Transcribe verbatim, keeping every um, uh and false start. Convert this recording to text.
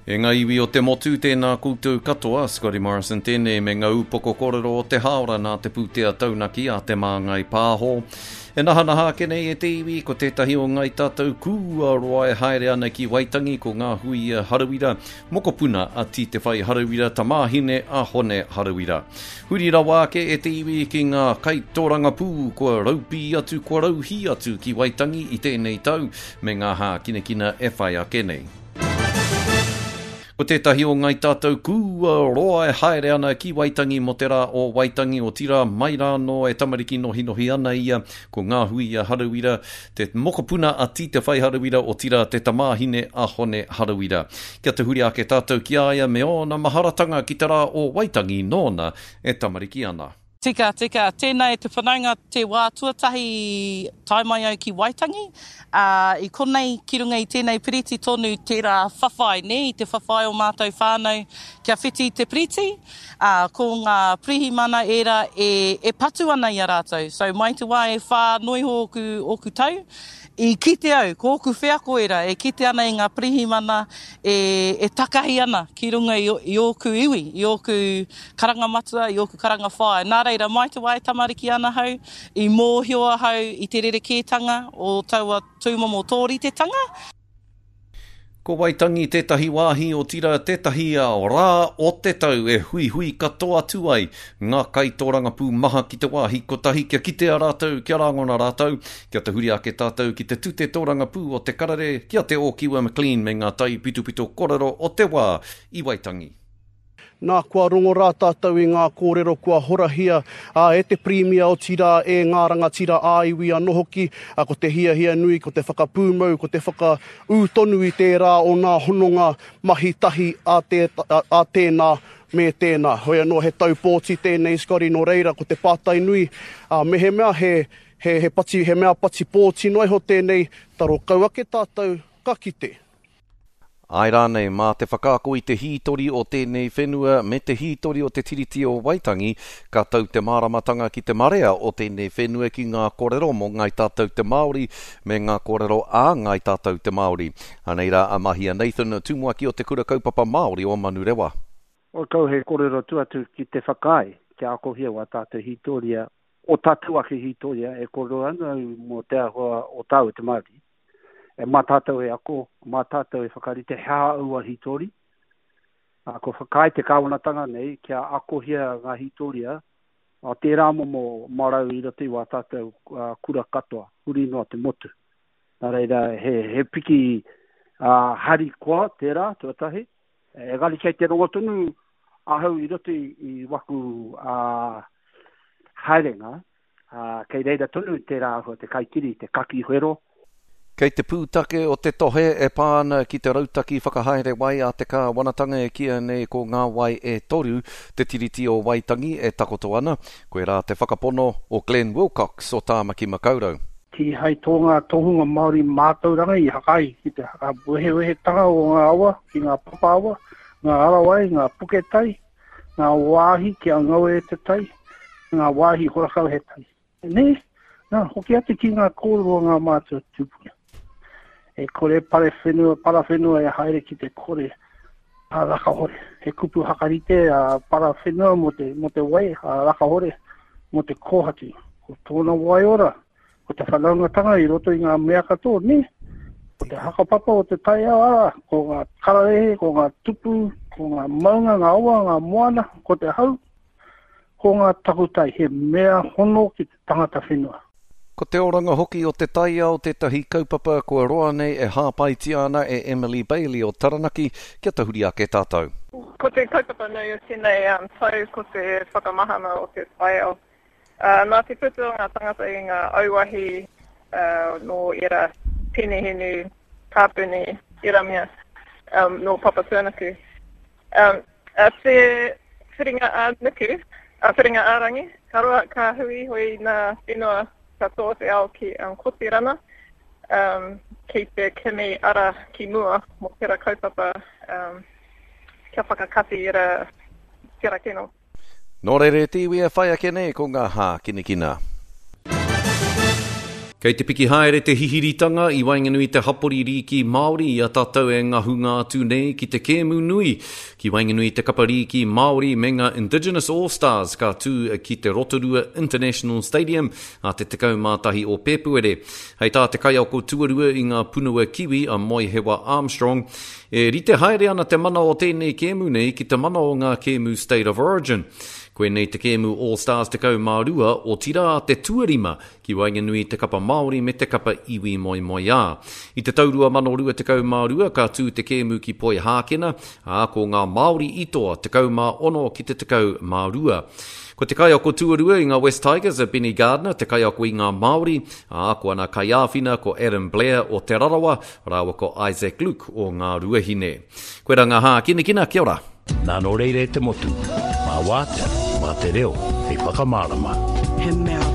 E ngā iwi o te motu, tēnā koutou katoa, Scotty Morrison tēnei me ngā upoko kōrero o te hāora nā te pūtea taunaki a Te Māngai Pāho. E nahanaha ake nei e te iwi, ko tētahi o ngai tātou kua roa e haere ana ki Waitangi ko ngā huia Harawira, mokopuna a Titewhai Harawira, tamāhine a Hone Harawira. Huri rawa ake e te iwi ki ngā kaitōrangapū kua raupī atu, kua rauhī atu ki Waitangi i tēnei tau me ngā hākinakina e whai ake nei. Ko tētahi o ngai tātou kua roa e haere ana ki Waitangi mō te rā o Waitangi o tira mai rānō e tamariki nohinohi ana ia ko ngā huia Harawira, te mokopuna a Titewhai Harawira o tira te tamāhine a Hone Harawira. Kia tahuri ake tātou ki a ia me ōna maharatanga ki te rā o Waitangi nōna e tamariki ana. Tika, tika. Tēnā e te whanaunga te wā tuatahi tae mai au ki Waitangi. Uh, I konei ki runga i tēnei piriti tonu tērā whawhai, ne, i te whawhai o mātou whānau kia whiti i te piriti. Uh, ko ngā pirihimana ērā e, e patu ana i a rātou. So mai te wā e whā noiho ōku, ōku tau, i kite au, ko ōku wheako ērā, e kite ana i ngā pirihimana e, e takahi ana ki runga i, i ōku iwi, i ōku karanga matua, i ōku karanga whaea. Nā reira, mai te wā e tamariki ana hau, i mōhio ahau i te rerekētanga o taua tūmomo tōritetanga. Ko Waitangi tētahi wāhi o tira tētahi rā o te tau e huihui katoa atu ai ngā kaitōrangapū maha ki te wāhi kotahi kia kitea rātou, kia rāngona rātou, kia tahuri ake tātou ki te tute tōrangapū o te karere, ki a Te Ōkiwa McLean me ngā tai pitopito korero o te wā i Waitangi. Nā, kua rongo rā tātou i ngā kōrero kua horahia a, e te Pirimia otirā e ngā rangatira ā-iwi anō hoki, a, ko te hiahia nui, ko te whakapūmau, ko te whakaū tonu i tērā o ngā hononga mahi tahi a, te, a, a tēnā me tēnā. Hoi anō he tau pōti tēnei, Scotty, nō reira, ko te pātai nui, a, mehemea he, he, he, pati, he mea pati pōti noa iho tēnei, taro kau ake tātou ka kite. Ai rānei mā te whakaako i te hītori o tēnei whenua me te hītori o te Tiriti o Waitangi, ka tau te māramatanga ki te marea o tēnei whenua ki ngā kōrero mō ngai tātou te Māori me ngā kōrero a ngai tātou te Māori. Anei rā a Mahia Nathan, tumuaki o te Kura Kaupapa Māori o Manurewa. O kau he kōrero tu atu ki te whakaae, kia akohia wā tātou hītoria, o tātou ake hītoria e kōrero ana au mō te āhua o tāu te Māori. E mā tātou e ako, mā tātou e whakarite he aha aua hītori. A, ko whakaae te kāwanatanga nei kia akohia ngā hītoria a tērā momo marau i roto i wā tātou uh, kura katoa, huri noa te motu. Nā reira, he, he piki uh, hari koa tērā, tuatahi. Engari kei te rongo tonu ahau i roto i, i waku uh, haerenga, uh, kei reira tonu tērā āhua te kaikiri, te kaki whero. Kei te pūtake o te tohe e pā ana ki te rautaki whakahaere wai a te kāwanatanga e kīia nei ko ngā wai e toru, te Tiriti o Waitangi e takoto ana, koe rā te whakapono o Glenn Wilcox o Tāmaki Makaurau. Kīhai tō ngā tohunga Māori mātauranga i hakai ki te whakawehewehetanga o ngā awa, ki ngā papaawa, ngā arawai, ngā puketai, ngā wāhi kia ngau e te tai, ngā wāhi horakau he tai. Nē, nā, hoki atu ki ngā kōrero o ngā mātua tūpuna. E kore pare whenua, para whenua e haere ki te kore a rakahore. He kupu hakarite a para whenua mō te, mō te wai, a rakahore mō te kōhatu. Ko tōna waiora, ko te whanaungatanga i roto i ngā mea katoa, nē? Ko te hakapapa o te taiao ara, ko ngā kararehe, ko ngā tupu, ko ngā maunga, ngā awa, ngā moana, ko te hau, ko ngā takutai, he mea hono ki te tangata whenua. Ko te oranga hoki o te taiao tētahi kaupapa kua roa nei e hāpaitia ana e Emily Bailey o Taranaki kia tahuri ake tātou. Ko te kaupapa nui o tēnei um, tau ko te whakamahana o te taiao. Uh, nā te puta o ngā tangata i ngā auahi uh, nō era penehinu, kāpuni, era mea, um, nō Papatūānuku. Um, a te whiringa a nuku, a whiringa a rangi, ka roa ka hui hoi nā whenua katoa te ao ki um, Kotirana, um, ki te kimi ara ki mua mō tērā kaupapa um, kia whakakati era tērā kino. Nō reira te iwi e whai ake nei ko ngā hākinakina. Kei te piki haere te hihiritanga i waenganui i te hapori rīki Māori i a tātou e ngahunga atu nei ki te kēmu nui ki waenganui i te kapa rīki Māori me ngā Indigenous All Stars ka tū ki te Rotorua International Stadium a te tekau mā tahi o Pēpuere. Hei tā te kaiako tuarua i ngā punua Kiwi a Moehewa Armstrong, e rite haere ana te mana o tēnei kēmu nei ki te mana o ngā kēmu State of Origin. Koinei te kēmu All Stars tekau mā rua, otirā te tuarima ki waenganui i te kapa Māori me te kapa iwi moemoeā. I te tau rua mano rua tekau mā rua ka tū te kēmu ki Poihākena, ā, ko ngā Māori i toa tekau mā ono ki te tekau mā rua. Ko te kaiako tuarua i ngā West Tigers a Benny Gardner, te kaiako i ngā Māori, ā, ko ana kaiāwhina ko Adam Blair o Te Rarawa, rāua ko Isaac Luke o Ngā Ruahine. Koirā ngā hākinakina, kia ora! Nā nō reira e te motu, mā Wātea, mā te reo hei whakamārama. He mea